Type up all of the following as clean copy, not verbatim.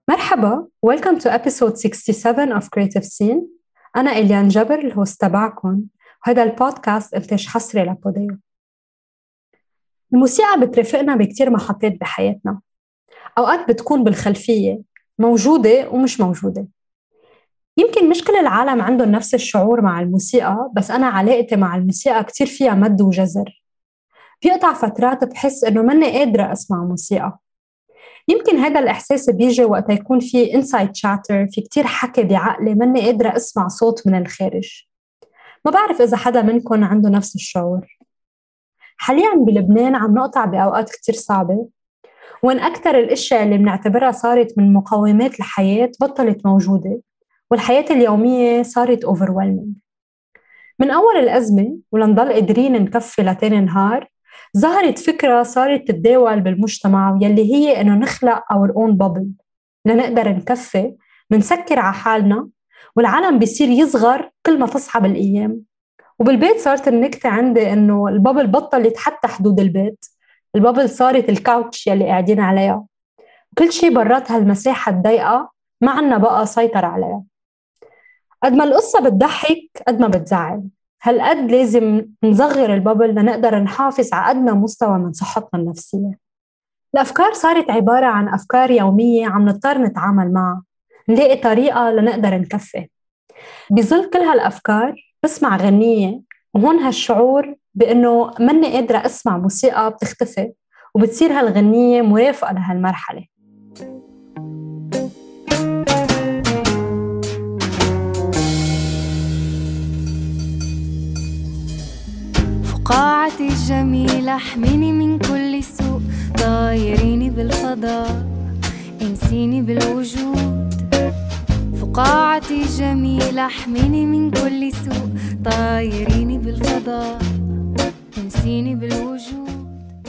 مرحبا. Welcome to episode 67 of Creative Scene. أنا إليان جبر الهوست تبعكم، وهذا البودكاست إنتاج حصري لبوديو. الموسيقى بترافقنا بكتير محطات بحياتنا، أوقات بتكون بالخلفية موجودة ومش موجودة. يمكن مش كل العالم عندهم نفس الشعور مع الموسيقى، بس أنا علاقتي مع الموسيقى كتير فيها مد وجزر. بيقطع فترات بحس إنه مني قادرة أسمع موسيقى. يمكن هذا الإحساس بيجي وقت يكون في inside chatter، في كتير حكي بعقلي مني قادرة أسمع صوت من الخارج. ما بعرف إذا حدا منكم عنده نفس الشعور. حالياً بلبنان عم نقطع بأوقات كتير صعبة، وإن أكتر الأشياء اللي بنعتبرها صارت من مقومات الحياة بطلت موجودة، والحياة اليومية صارت overwhelming. من أول الأزمة ولنضل قادرين نكفي لتاني نهار، ظهرت فكرة صارت تتداول بالمجتمع، واللي هي إنه نخلق our own bubble لنقدر نكفي، منسكر على حالنا، والعالم بيصير يصغر كل ما تصعب الأيام. وبالبيت صارت النكتة عندي إنه البابل بطلت حتى حدود البيت، البابل صارت الكاوتش يلي قاعدين عليها، كل شي برات هالمساحة الضيقة ما عنا بقى سيطر عليها. قد ما القصة بتضحك قد ما بتزعل، هالقد لازم نصغر البابل لنقدر نحافظ على أدنى مستوى من صحتنا النفسية. الأفكار صارت عبارة عن أفكار يومية عم نضطر نتعامل معها، نلاقي طريقة لنقدر نكفي. بظل كل هالأفكار بسمع غنية، وهون هالشعور بأنه مني قادرة أسمع موسيقى بتختفي، وبتصير هالغنية مرافقة لهالمرحلة. فقاعتي الجميلة احميني من كل سوء، طايريني بالفضاء انسيني بالوجود. فقاعتي الجميلة احميني من كل سوء، طايريني بالفضاء انسيني بالوجود.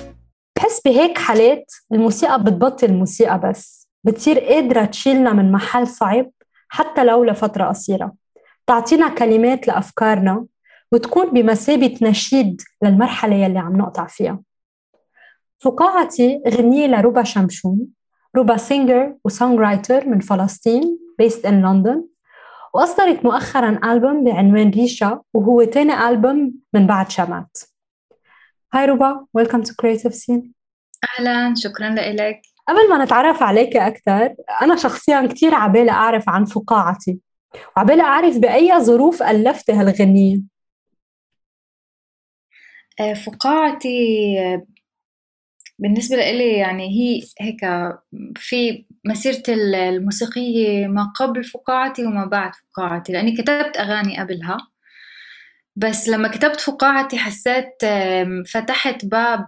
بحس بهيك حالات الموسيقى بتبطل موسيقى، بس بتصير قادرة تشيلنا من محل صعب حتى لو لفترة قصيرة، تعطينا كلمات لأفكارنا، وتكون بمثابة نشيد للمرحلة يلي عم نقطع فيها. فقاعتي غنية لروبا شمشون. روبا سينجر وسونغ رايتر من فلسطين based in London، وأصدرت مؤخراً ألبوم بعنوان ريشا، وهو تاني ألبوم من بعد شمات. هاي روبا، welcome to Creative Scene. أهلاً، شكراً لإلك. قبل ما نتعرف عليك أكتر، أنا شخصياً كتير عبالة أعرف عن فقاعتي، وعبالة أعرف بأي ظروف ألفتي هالغنية. فقاعتي بالنسبة لإلي يعني هي هيك في مسيرتي الموسيقية ما قبل فقاعتي وما بعد فقاعتي، لأني كتبت أغاني قبلها، بس لما كتبت فقاعتي حسيت فتحت باب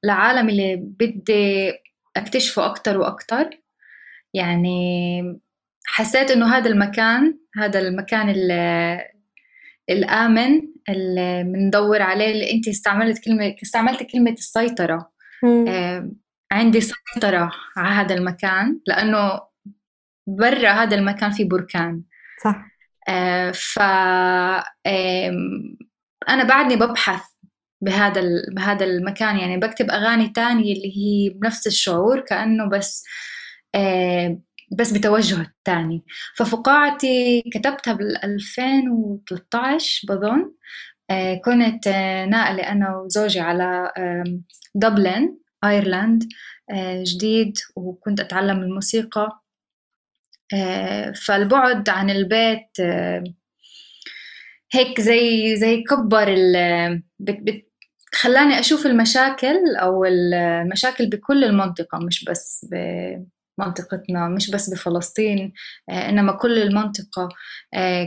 لعالم اللي بدي أكتشفه أكتر وأكتر. يعني حسيت إنه هذا المكان الآمن اللي مندور عليه، اللي أنت استعملت كلمة السيطرة. عندي سيطرة على هذا المكان، لأنه برا هذا المكان في بركان. صح. أنا بعدني ببحث بهذا المكان، يعني بكتب أغاني تانية اللي هي بنفس الشعور، كأنه بس بتوجه تاني. ففقاعتي كتبتها بال2013 بظن. كنت ناقلة أنا وزوجي على دبلن أيرلند جديد، وكنت أتعلم الموسيقى. فالبعد عن البيت هيك زي كبر خلاني أشوف المشاكل أو المشاكل بكل المنطقة، مش بس بمنطقتنا، مش بس بفلسطين، إنما كل المنطقة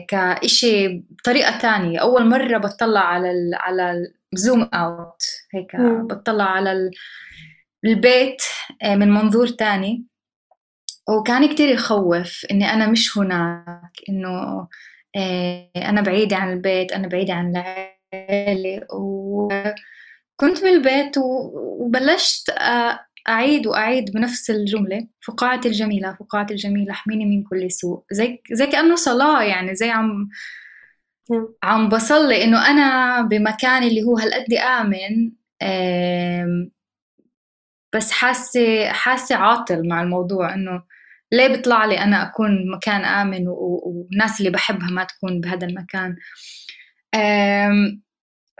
كإشي بطريقة تانية. أول مرة بتطلع على زوم أوت هيك، بتطلع على البيت من منظور تاني، وكان كتير يخوف إني أنا مش هناك، إنه أنا بعيدة عن البيت، أنا بعيدة عن العائلة. وكنت بالبيت وبلشت أعيد بنفس الجملة: فقاعتي الجميلة، فقاعتي الجميلة احميني من كل سوء. زي كأنه صلاة، يعني زي عم بصلي إنه أنا بمكان اللي هو هالقد آمن، بس حاسة عاطل مع الموضوع، إنه ليه بيطلع لي أنا أكون مكان آمن والناس اللي بحبها ما تكون بهذا المكان.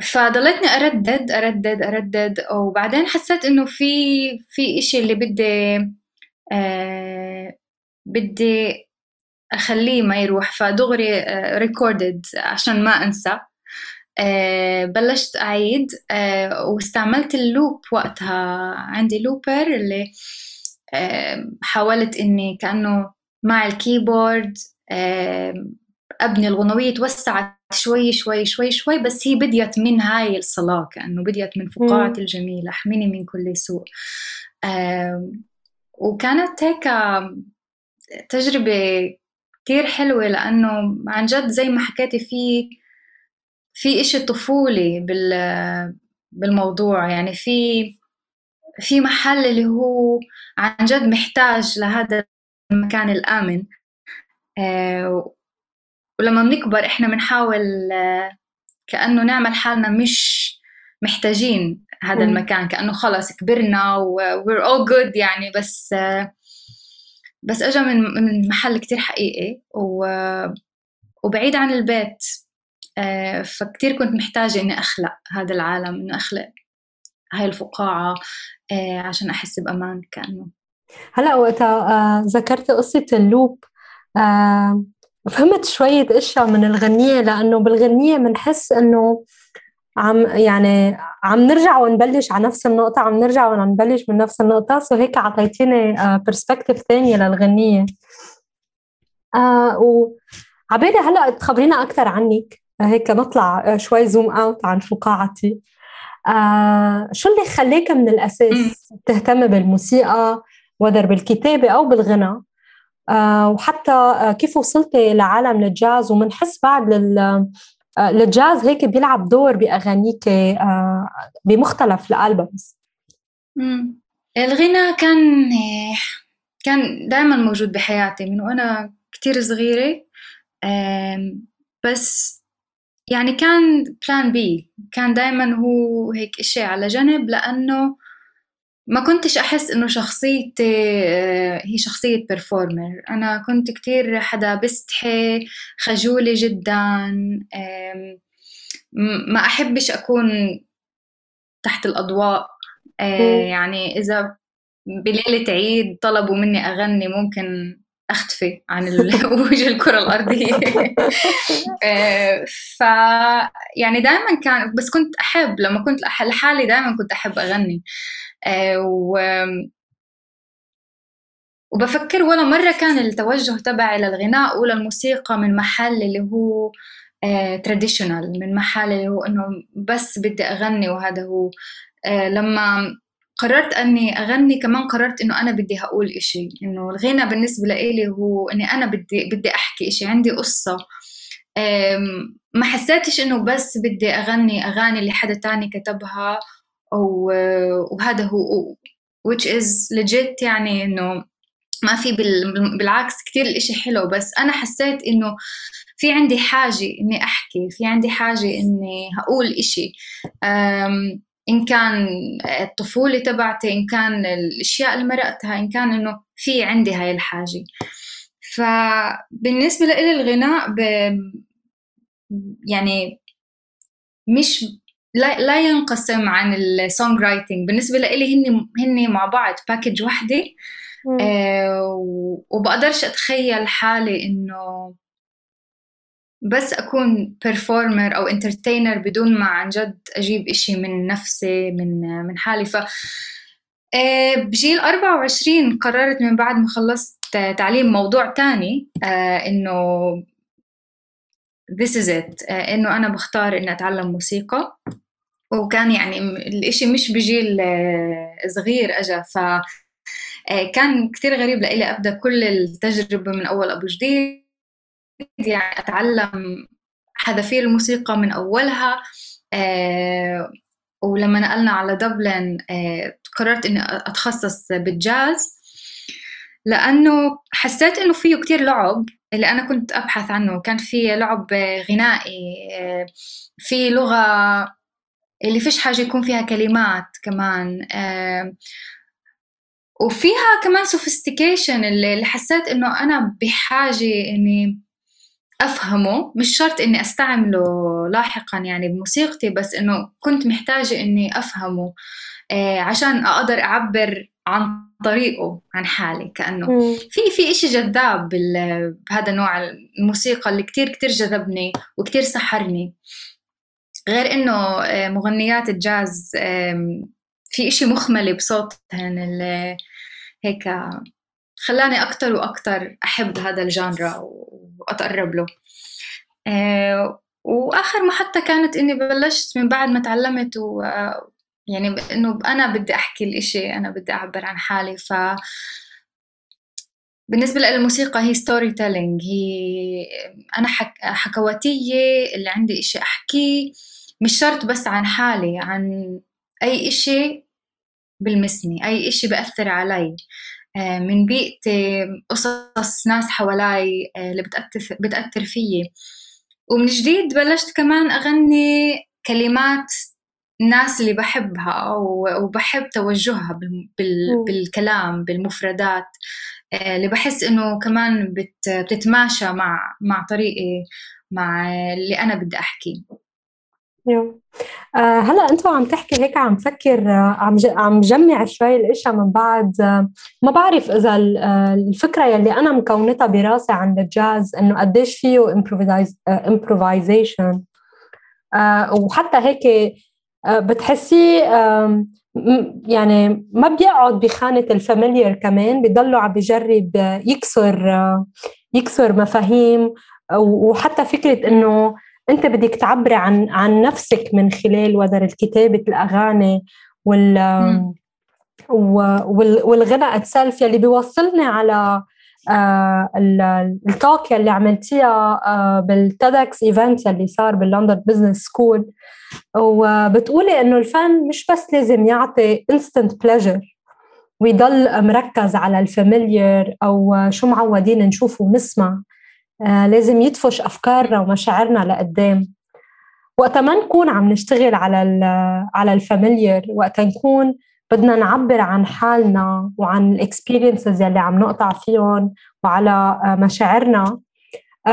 فضلتني أردد وبعدين حسيت إنه في إشي اللي بدي أخليه ما يروح، فدغري ريكوردد عشان ما أنسى. بلشت أعيد واستعملت اللوب وقتها، عندي لوبر اللي حاولت إني كأنه مع الكيبورد أبني الغنوية، توسعت شوي شوي شوي شوي، بس هي بديت من هاي الصلاة، كأنه بديت من فقاعة الجميل احميني من كل سوء. وكانت هيك تجربة كتير حلوة، لأنه عن جد زي ما حكيتي في إشي طفولي بالموضوع، يعني في محل اللي هو عن جد محتاج لهذا المكان الآمن. ولما بنكبر إحنا بنحاول كأنه نعمل حالنا مش محتاجين هذا المكان، كأنه خلاص كبرنا we're all good يعني، بس أجا من محل كتير حقيقي وبعيد عن البيت. فكتير كنت محتاجة إني أخلق هذا العالم، إنه أخلق هاي الفقاعة عشان أحس بأمان. كأنه هلأ وقتها ذكرت قصة اللوب، فهمت شوية أشياء من الغنية، لأنه بالغنية منحس إنه عم نرجع ونبلش على نفس النقطة، عم نرجع ونبلش من نفس النقطة. سو هيك عطيتيني برسبكتيف ثانية للغنية. وعبالي هلأ تخبرينا أكثر عنك، هيك نطلع شوي زوم أوت عن فقاعتي. شو اللي خليك من الأساس تهتم بالموسيقى، وذر بالكتابة أو بالغنى؟ وحتى كيف وصلتي لعالم الجاز؟ ومنحس بعد للجاز هيك بيلعب دور بأغانيك بمختلف الألبومز. الغنى كان دائما موجود بحياتي من وأنا كتير صغيرة، بس يعني كان بلان بي، كان دائما هو هيك إشي على جنب، لأنه ما كنتش أحس إنه شخصيتي هي شخصية بيرفورمر. أنا كنت كتير حدا بستحي، خجولة جدا، ما أحبش أكون تحت الأضواء. يعني إذا بليلة عيد طلبوا مني أغني ممكن أختفي عن وجه الكرة الأرضية. يعني دائما كان، بس كنت أحب لما كنت لحالي دائما كنت أحب أغني. وبفكر ولا مرة كان التوجه تبعي للغناء وللموسيقى من محل اللي هو traditional، من محل اللي هو إنه بس بدي أغني وهذا هو. لما قررت أني أغني كمان قررت إنه أنا بدي هقول إشي، إنه الغنى بالنسبة لي هو إني أنا بدي أحكي إشي، عندي قصة. ما حسيتش إنه بس بدي أغني أغاني اللي حدا تاني كتبها وهذا هو which is legit، يعني إنه ما في بالعكس كتير الإشي حلو، بس أنا حسيت إنه في عندي حاجة إني أحكي، في عندي حاجة إني هقول إشي، إن كان الطفولة تبعتي، إن كان الأشياء اللي مرقتها، إن كان إنه في عندي هاي الحاجة. فبالنسبة لي الغناء يعني مش لا ينقسم عن السونغ رايتنج. بالنسبة لي هني مع بعض باكج واحدة. وبقدرش أتخيل حالي إنه بس أكون performer أو entertainer بدون ما عن جد أجيب إشي من نفسي من حالي. بجيل 24 قررت من بعد ما خلصت تعليم موضوع تاني، إنه this is it، إنه أنا بختار إني أتعلم موسيقى. وكان يعني الإشي مش بجيل صغير أجا، كان كتير غريب لإلي أبدأ كل التجربة من أول أبو جديد، يعني أتعلم حذافير الموسيقى من أولها. ولما نقلنا على دبلن قررت إني أتخصص بالجاز، لأنه حسيت إنه فيه كتير لعب اللي أنا كنت أبحث عنه. كان فيه لعب غنائي، في لغة اللي فيش حاجة يكون فيها كلمات كمان، وفيها كمان sophistication اللي حسيت إنه أنا بحاجة إني أفهمه، مش شرط إني أستعمله لاحقاً يعني بموسيقتي، بس إنه كنت محتاجة إني أفهمه عشان أقدر أعبر عن طريقه عن حالي. كأنه في إشي جذاب بهذا نوع الموسيقى اللي كتير كتير جذبني وكتير سحرني. غير إنه مغنيات الجاز في إشي مخملي بصوتهن اللي هيك خلاني أكتر وأكتر أحب هذا الجانرا وأتقرب له. وآخر محطة كانت إني بلشت من بعد ما تعلمت يعني إنه أنا بدي أحكي الإشي، أنا بدي أعبر عن حالي. بالنسبة للموسيقى هي ستوري تيلينج، هي أنا حكواتية اللي عندي إشي أحكيه، مش شرط بس عن حالي، عن أي إشي بلمسني، أي إشي بأثر علي من بيئتي، قصص ناس حوالي اللي بتأثر فيي. ومن جديد بلشت كمان أغني كلمات الناس اللي بحبها وبحب توجهها بالكلام، بالمفردات اللي بحس إنه كمان بتتماشى مع طريقي، مع اللي أنا بدي أحكي. هلا أنتوا عم تحكي هيك عم فكر، عم جمع شوي الأشياء من بعد. ما بعرف إذا الفكرة يلي أنا مكونتها براسي عن الجاز إنه قديش فيه improvisation، وحتى هيك بتحسي يعني ما بيقعد بخانة الفاميليار، كمان بيضلوا عم بيجرب يكسر مفاهيم. وحتى فكرة إنه أنت بدك تعبري عن نفسك من خلال ودر الكتابة، الأغاني والغناء اتسلف، يلي بيوصلني على التوك اللي عملتيها بالتيدكس ايفنت اللي صار باللندن بزنس سكول، وبتقولي إنه الفن مش بس لازم يعطي instant pleasure ويضل مركز على الفاميليار أو شو معودين نشوف ونسمع، لازم يدفش أفكارنا ومشاعرنا لقدام. وقتا ما نكون عم نشتغل على الفاميليار، وقتا نكون بدنا نعبر عن حالنا وعن الاكسبيرينسز يلي عم نقطع فيهم وعلى مشاعرنا،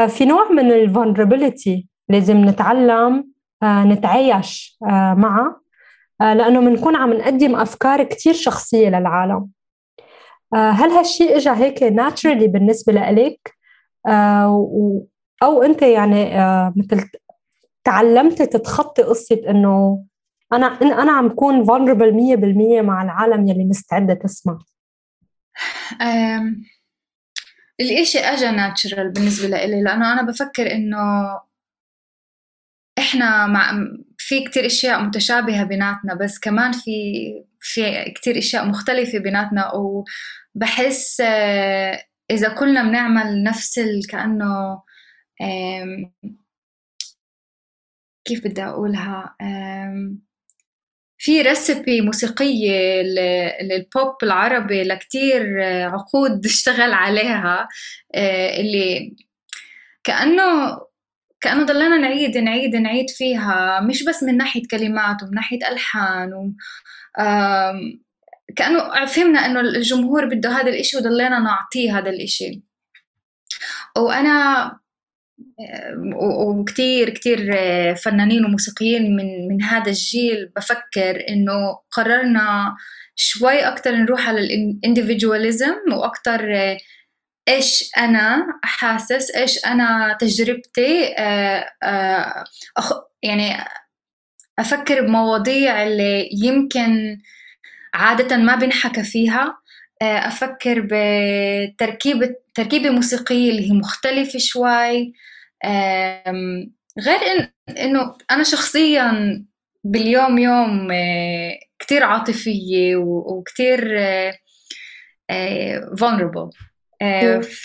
في نوع من الفولنربيليتي لازم نتعلم نتعايش معه، لأنه منكون عم نقدم أفكار كتير شخصية للعالم. هل هالشيء إجا هيك naturally بالنسبة لإلك، أو أنت يعني مثل تعلمت تتخطي قصة إنه أنا عم كون vulnerable 100% مع العالم يلي مستعدة تسمع؟ الإشي أجا ناتشرال بالنسبة لإلي، لأنه أنا بفكر إنه إحنا في كتير أشياء متشابهة بيناتنا، بس كمان في كتير أشياء مختلفة بيناتنا. وبحس إذا كلنا بنعمل نفس كأنه كيف بدي أقولها، في ريسيبي موسيقية للبوب العربي لكتير عقود اشتغل عليها، اللي كأنه ضلنا نعيد فيها، مش بس من ناحية كلمات ومن ناحية ألحان، كأنه فهمنا إنه الجمهور بده هذا الإشي وضلنا نعطيه هذا الإشي. وأنا وكتير كتير فنانين وموسيقيين من هذا الجيل بفكر إنه قررنا شوي أكتر نروح على الانديفيدواليزم، وأكتر إيش أنا حاسس، إيش أنا تجربتي، يعني أفكر بمواضيع اللي يمكن عادة ما بنحكى فيها، أفكر بتركيبة موسيقية اللي هي مختلفة شوي. غير إنه أنا شخصياً باليوم يوم كتير عاطفية وكتير vulnerable،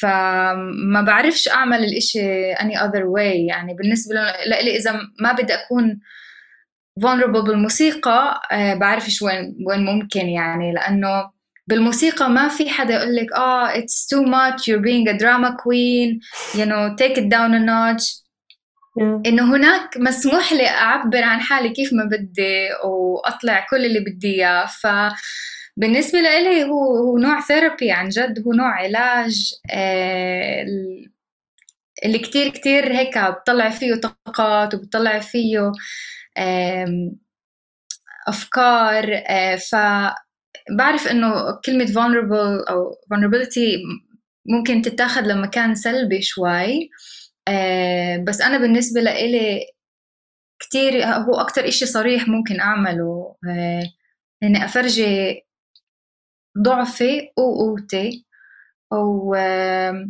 فما بعرفش أعمل الإشي any other way. يعني بالنسبة لي إذا ما بدي أكون vulnerable بالموسيقى، بعرفش وين ممكن، يعني لأنه بالموسيقى ما في حدا يقولك it's too much, you're being a drama queen, you know, take it down a notch. إنه هناك مسموح لي أعبر عن حالي كيف ما بدي وأطلع كل اللي بدي إياه. بالنسبة لإلي هو نوع ثيرابي عن جد، هو نوع علاج اللي كتير هيك بتطلع فيه طاقات وبتطلع فيه أفكار. فبعرف إنه كلمة vulnerable أو vulnerability ممكن تتاخد لمكان سلبي شوي، بس أنا بالنسبة لإلي كتير هو أكتر إشي صريح ممكن أعمله، إني أفرجي ضعفي وقوتي، وزي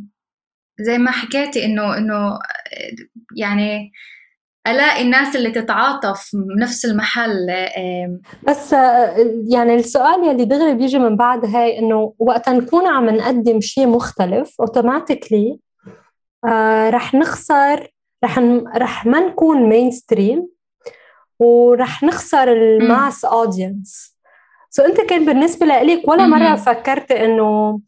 ما حكيتي إنه يعني ألاقي الناس اللي تتعاطف بنفس المحل. بس يعني السؤال يلي دغري بيجي من بعد هاي إنه وقت نكون عم نقدم شيء مختلف automatically رح نخسر، رح ما نكون مينستريم ورح نخسر الماس أودينس. أنت كان بالنسبة لك ولا مرة فكرت إنه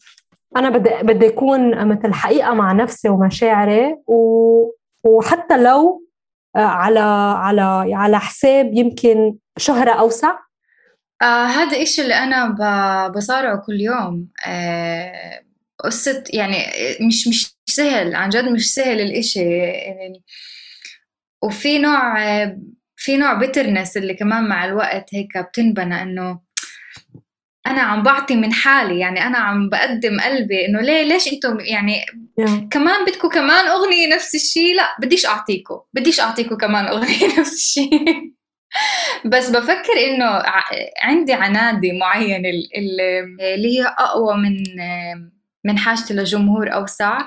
أنا بدي أكون مثل حقيقة مع نفسي ومشاعري، وحتى لو على حساب يمكن شهرة أوسع؟ هذا إشي اللي أنا بصارعه كل يوم. قصة يعني مش سهل، عن جد مش سهل الإشي يعني. وفي نوع بيترنس اللي كمان مع الوقت هيك بتنبنى، إنه أنا عم بعطي من حالي، يعني أنا عم بقدم قلبي، إنه ليش أنتم يعني كمان بدكم كمان أغنية نفس الشيء؟ لا بديش أعطيكم كمان أغنية نفس الشيء. بس بفكر إنه عندي عنادي معين اللي هي أقوى من حاجتي لجمهور أوسع.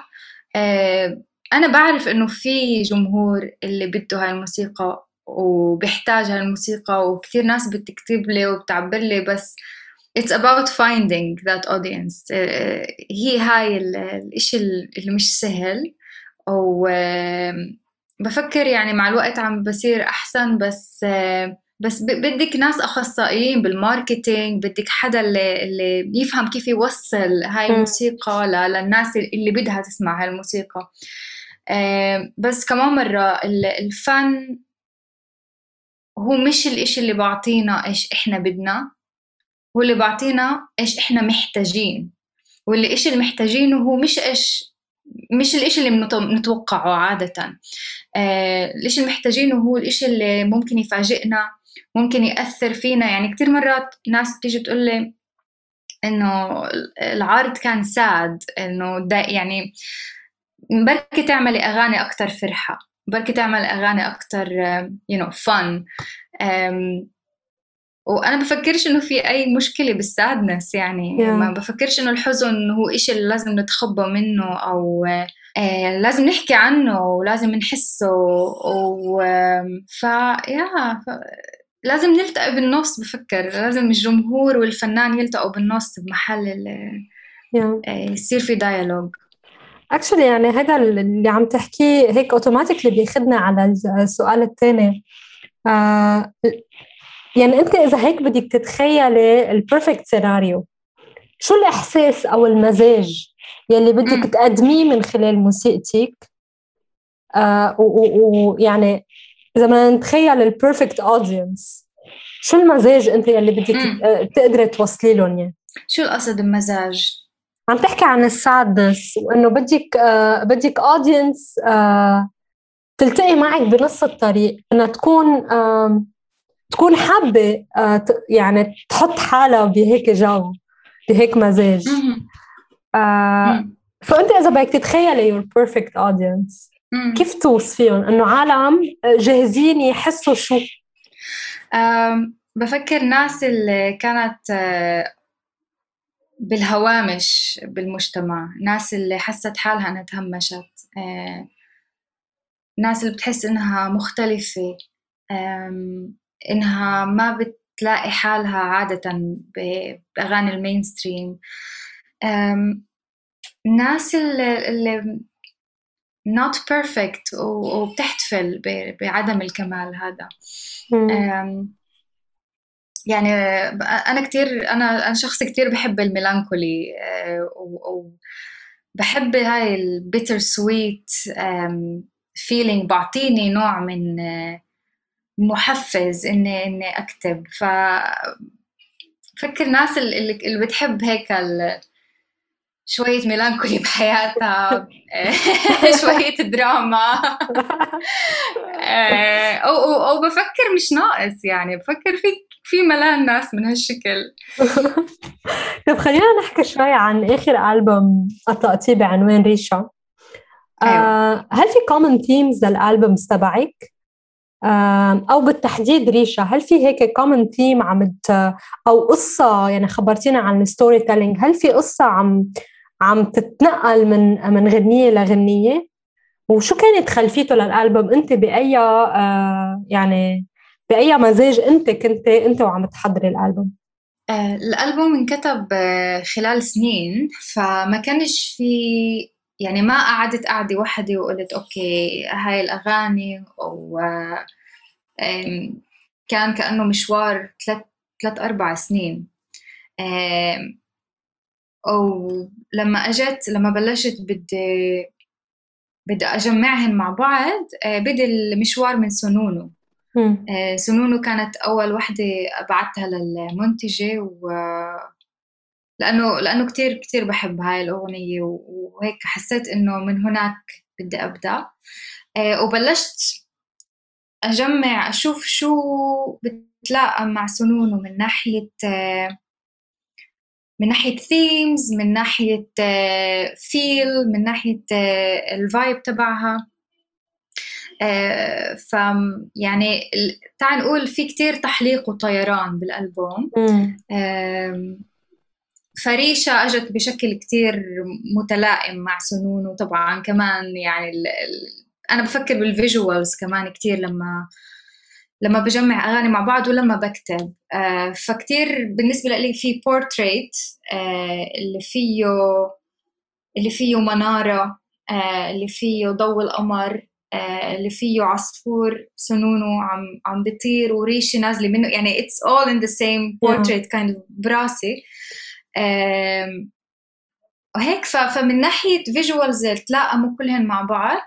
أنا بعرف إنه في جمهور اللي بده هاي الموسيقى وبيحتاج هاي الموسيقى، وكتير ناس بتكتب لي وبتعبر لي، بس it's about finding that audience. هي هاي الإشي اللي مش سهل، وبفكر يعني مع الوقت عم بصير أحسن. بس بدك ناس أخصائيين بالماركتينج، بدك حدا اللي يفهم كيف يوصل هاي الموسيقى للناس اللي بدها تسمع هاي الموسيقى. بس كمان مرة الفن هو مش الإشي اللي بعطينا إيش إحنا بدنا، هو اللي بعطينا إيش إحنا محتاجين. واللي إيش اللي محتاجينه هو مش الإشي اللي نتوقعه عادة. الإشي اللي محتاجينه هو الإشي اللي ممكن يفاجئنا، ممكن يأثر فينا. يعني كتير مرات ناس بتيجي تقولي إنه العرض كان ساد، إنه يعني بركي تعملي أغاني أكتر فرحة، بركي تعملي أغاني أكتر fun. وأنا بفكرش إنه في أي مشكلة بالسادنس، يعني ما بفكرش إنه الحزن هو إشي اللي لازم نتخبى منه، أو لازم نحكي عنه ولازم نحسه. لازم نلتقي بالنص. بفكر لازم الجمهور والفنان يلتقوا بالنص بمحل يصير في ديالوج. actually يعني هذا اللي عم تحكيه هيك اوتوماتيكلي بياخدنا على السؤال الثاني. يعني أنت إذا هيك بدك تتخيلي البرفكت سيناريو، شو الإحساس أو المزاج يلي بدك تقدميه من خلال موسيقتك؟ ويعني إذا ما نتخيل البرفكت أودينس، شو المزاج أنت يلي بدك تقدري توصلي لهم؟ يعني شو القصد المزاج؟ عم تحكي عن السادنس، وإنه بدك أودينس تلتقي معك بنص الطريق، إنها تكون حابة يعني تحط حالها بهيك جو، بهيك مزاج. فأنت إذا بدك تتخيلي your perfect audience، كيف توصفيهم؟ إنه عالم جاهزين يحسوا شو؟ بفكر ناس اللي كانت بالهوامش بالمجتمع، ناس اللي حست حالها أنها تهمشت، ناس اللي بتحس إنها مختلفة، إنها ما بتلاقي حالها عادة بأغاني المينستريم، ناس اللي not perfect وبتحتفل بعدم الكمال هذا. يعني أنا شخص كتير بحب الميلانكولي، وبحب هاي البيتر سويت feeling، بعطيني نوع من محفز إني أكتب. بفكر ناس اللي بتحب هيك شوية ميلانكولي بحياتها، شوية دراما. أو بفكر مش ناقص، يعني بفكر في ملان ناس من هالشكل. طب خلينا نحكي شوي عن آخر ألبوم أطلقتيه بعنوان ريشة. أيوة. هل في common themes للألبومز تبعك؟ أو بالتحديد ريشة، هل في هيك common theme أو قصة؟ يعني خبرتينا عن الستوري تيلينج، هل في قصة عم تتنقل من غنية لغنية؟ وشو كانت خلفيته للألبوم؟ أنت بأي يعني بأي مزاج أنت وعم تحضري الألبوم؟ الألبوم انكتب خلال سنين، فما كانش في، يعني ما قعدت قعدة وحدة وقلت أوكي هاي الأغاني، أو كان كأنه مشوار 3-4 سنين. أو لما بلشت بدي أجمعهن مع بعض، بدأ المشوار من سنونو. سنونو كانت أول وحدة بعتها للمنتجة، لأنه كتير كتير بحب هاي الأغنية، وهيك حسيت إنه من هناك بدي أبدأ. وبلشت أجمع أشوف شو بتلاقى مع سنونو من ناحية themes، من ناحية feel، من ناحية الvibe تبعها. يعني تعال نقول في كتير تحليق وطيران بالألبوم. فريشة أجت بشكل كتير متلائم مع سنونو طبعا كمان. يعني أنا بفكر بالفيجوالز كمان كتير لما بجمع أغاني مع بعض ولما بكتب. فكتير بالنسبة لي في بورتريت اللي فيه منارة، اللي فيه ضوء القمر، اللي فيه عصفور سنونو عم بيطير وريشة نازلة منه، يعني it's all in the same portrait kind of براسي. وهيك فمن ناحية visuals تلاقموا كلهن مع بعض.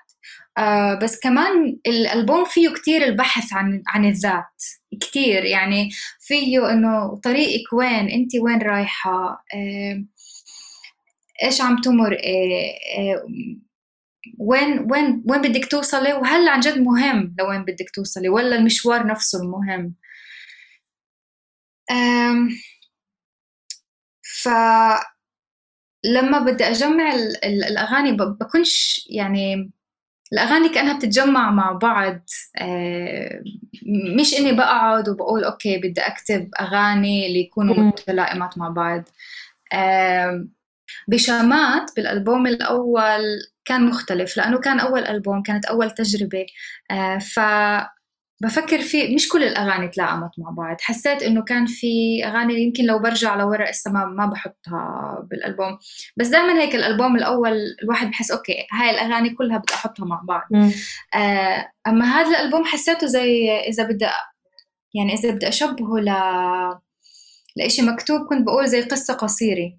بس كمان الألبوم فيه كتير البحث عن الذات كتير، يعني فيه إنه طريقك وين، أنت وين رايحة، إيش عم تمر، وين بدك توصلي، وهل عن جد مهم لوين بدك توصلي ولا المشوار نفسه المهم. فلما بدي أجمع الأغاني بكونش، يعني الأغاني كأنها بتتجمع مع بعض. مش إني بقعد وبقول أوكي بدي أكتب أغاني اللي يكونوا متلائمات مع بعض. بشامات بالألبوم الأول كان مختلف، لأنه كان أول ألبوم، كانت أول تجربة. فبفكر في مش كل الأغاني تلاقمت مع بعض. حسيت إنه كان في أغاني يمكن لو برجع لورا إسا ما بحطها بالألبوم. بس دائما هيك الألبوم الأول الواحد بحس أوكي هاي الأغاني كلها بدي أحطها مع بعض. أما هذا الألبوم حسيته زي إذا بدي أشبهه لإشي مكتوب، كنت بقول زي قصة قصيرة.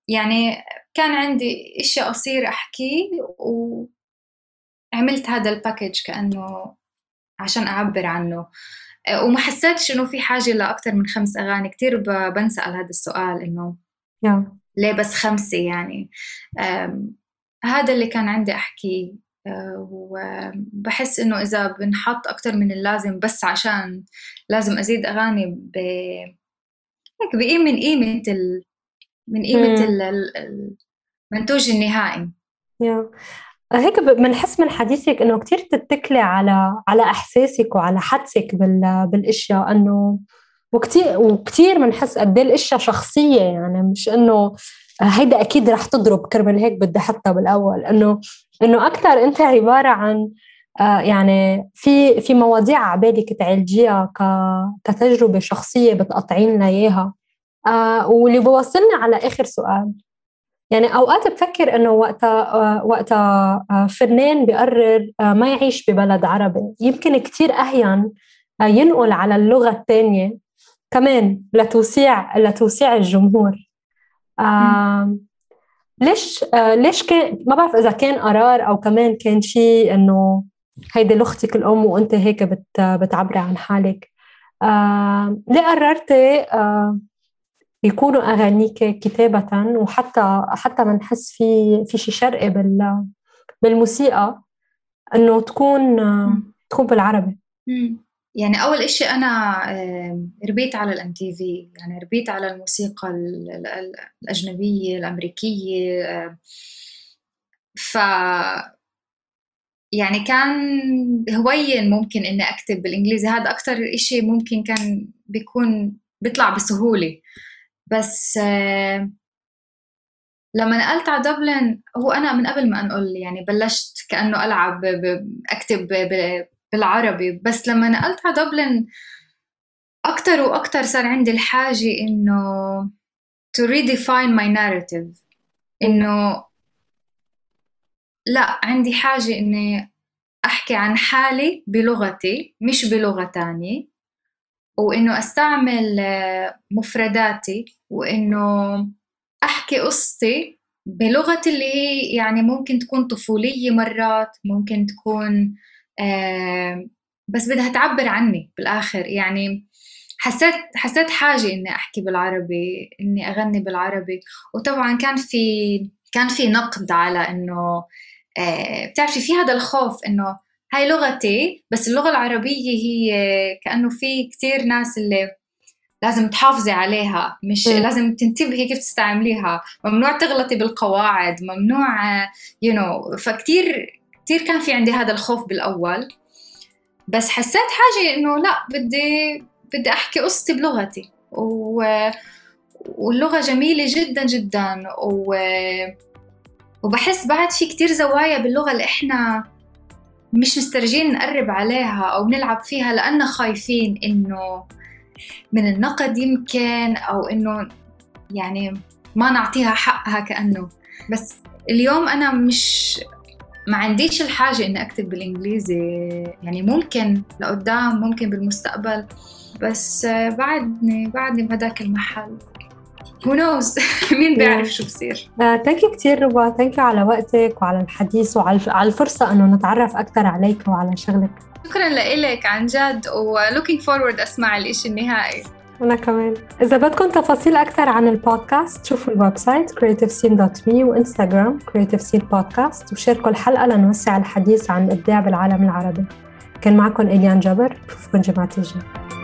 يعني كان عندي إشي قصير أحكي، وعملت هذا الباكيج كأنه عشان أعبر عنه. وما حسيتش إنه في حاجة لأكتر من 5 أغاني. كتير بنسأل هذا السؤال إنه ليه بس 5 يعني. هذا اللي كان عندي أحكي. وبحس إنه إذا بنحط أكتر من اللازم بس عشان لازم أزيد أغاني من قيمة المنتوج النهائي. هيك بنحس من حديثك إنه كتير تتكلي على إحساسك وعلى حدسك بالأشياء، إنه وكتير بنحس قد إيه الأشياء شخصية، يعني مش إنه هيدا أكيد رح تضرب كرمال هيك بدي حطها بالأول. إنه أكتر أنت عبارة عن يعني في مواضيع عبالك تعالجيها كتجربة شخصية بتقطعين لنا إياها. واللي بوصلنا على آخر سؤال، يعني أوقات بفكر إنه وقتها فنان بيقرر ما يعيش ببلد عربي، يمكن كتير أهين ينقل على اللغة الثانية كمان لتوسيع الجمهور. ليش كان، ما بعرف إذا كان قرار أو كمان كان شيء إنه هيدي لغتك الأم وأنت هيك بتعبري عن حالك. ليه قررتي يكونوا أغانيك كتابة وحتى ما نحس في شي شرقي بالموسيقى إنه تكون بالعربي؟ يعني أول إشي أنا ربيت على الMTV، يعني ربيت على الموسيقى الأجنبية الأمريكية، يعني كان هواية ممكن إني أكتب بالإنجليزي، هذا أكتر إشي ممكن كان بيطلع بسهولة. بس لما نقلت على دبلن، هو أنا من قبل ما أنقل يعني بلشت كأنه ألعب أكتب بالعربي، بس لما نقلت على دبلن أكتر وأكتر صار عندي الحاجة إنه to redefine my narrative، إنه لا، عندي حاجة إني أحكي عن حالي بلغتي مش بلغة تانية، وإنه أستعمل مفرداتي، وإنه أحكي قصتي بلغتي اللي هي يعني ممكن تكون طفولية، مرات ممكن تكون بس بدها تعبر عني بالآخر. يعني حسيت حاجة إني أحكي بالعربي، إني أغني بالعربي. وطبعا كان في نقد على إنه بتعرفي في هذا الخوف إنه هاي لغتي، بس اللغة العربية هي كأنه في كتير ناس اللي لازم تحافظي عليها، مش لازم تنتبهي كيف تستعمليها، ممنوع تغلطي بالقواعد، ممنوع فكتير كان في عندي هذا الخوف بالأول. بس حسيت حاجة إنه لا، بدي أحكي قصتي بلغتي، واللغة جميلة جدا جدا، وبحس بعد في كتير زوايا باللغة اللي إحنا مش مسترجين نقرب عليها أو نلعب فيها، لأننا خايفين إنه من النقد يمكن، أو إنه يعني ما نعطيها حقها كأنه. بس اليوم أنا ما عنديش الحاجة إني أكتب بالإنجليزي، يعني ممكن لقدام، ممكن بالمستقبل، بس بعدني بهداك المحل. who knows مين بيعرف شو بصير. تانكي كتير ربا، تانكي على وقتك وعلى الحديث وعلى الفرصة إنه نتعرف أكتر عليك وعلى شغلك. شكرا لإلك عن جد، و looking forward أسمع الإشي النهائي. أنا كمان. إذا بدكم تفاصيل أكتر عن البودكاست، شوفوا الويب سايت creativescene.me وإنستغرام creativescene podcast، وشاركوا الحلقة لنوسع الحديث عن الإبداع بالعالم العربي. كان معكم إليان جبر، بشوفكم جمعة الجاية.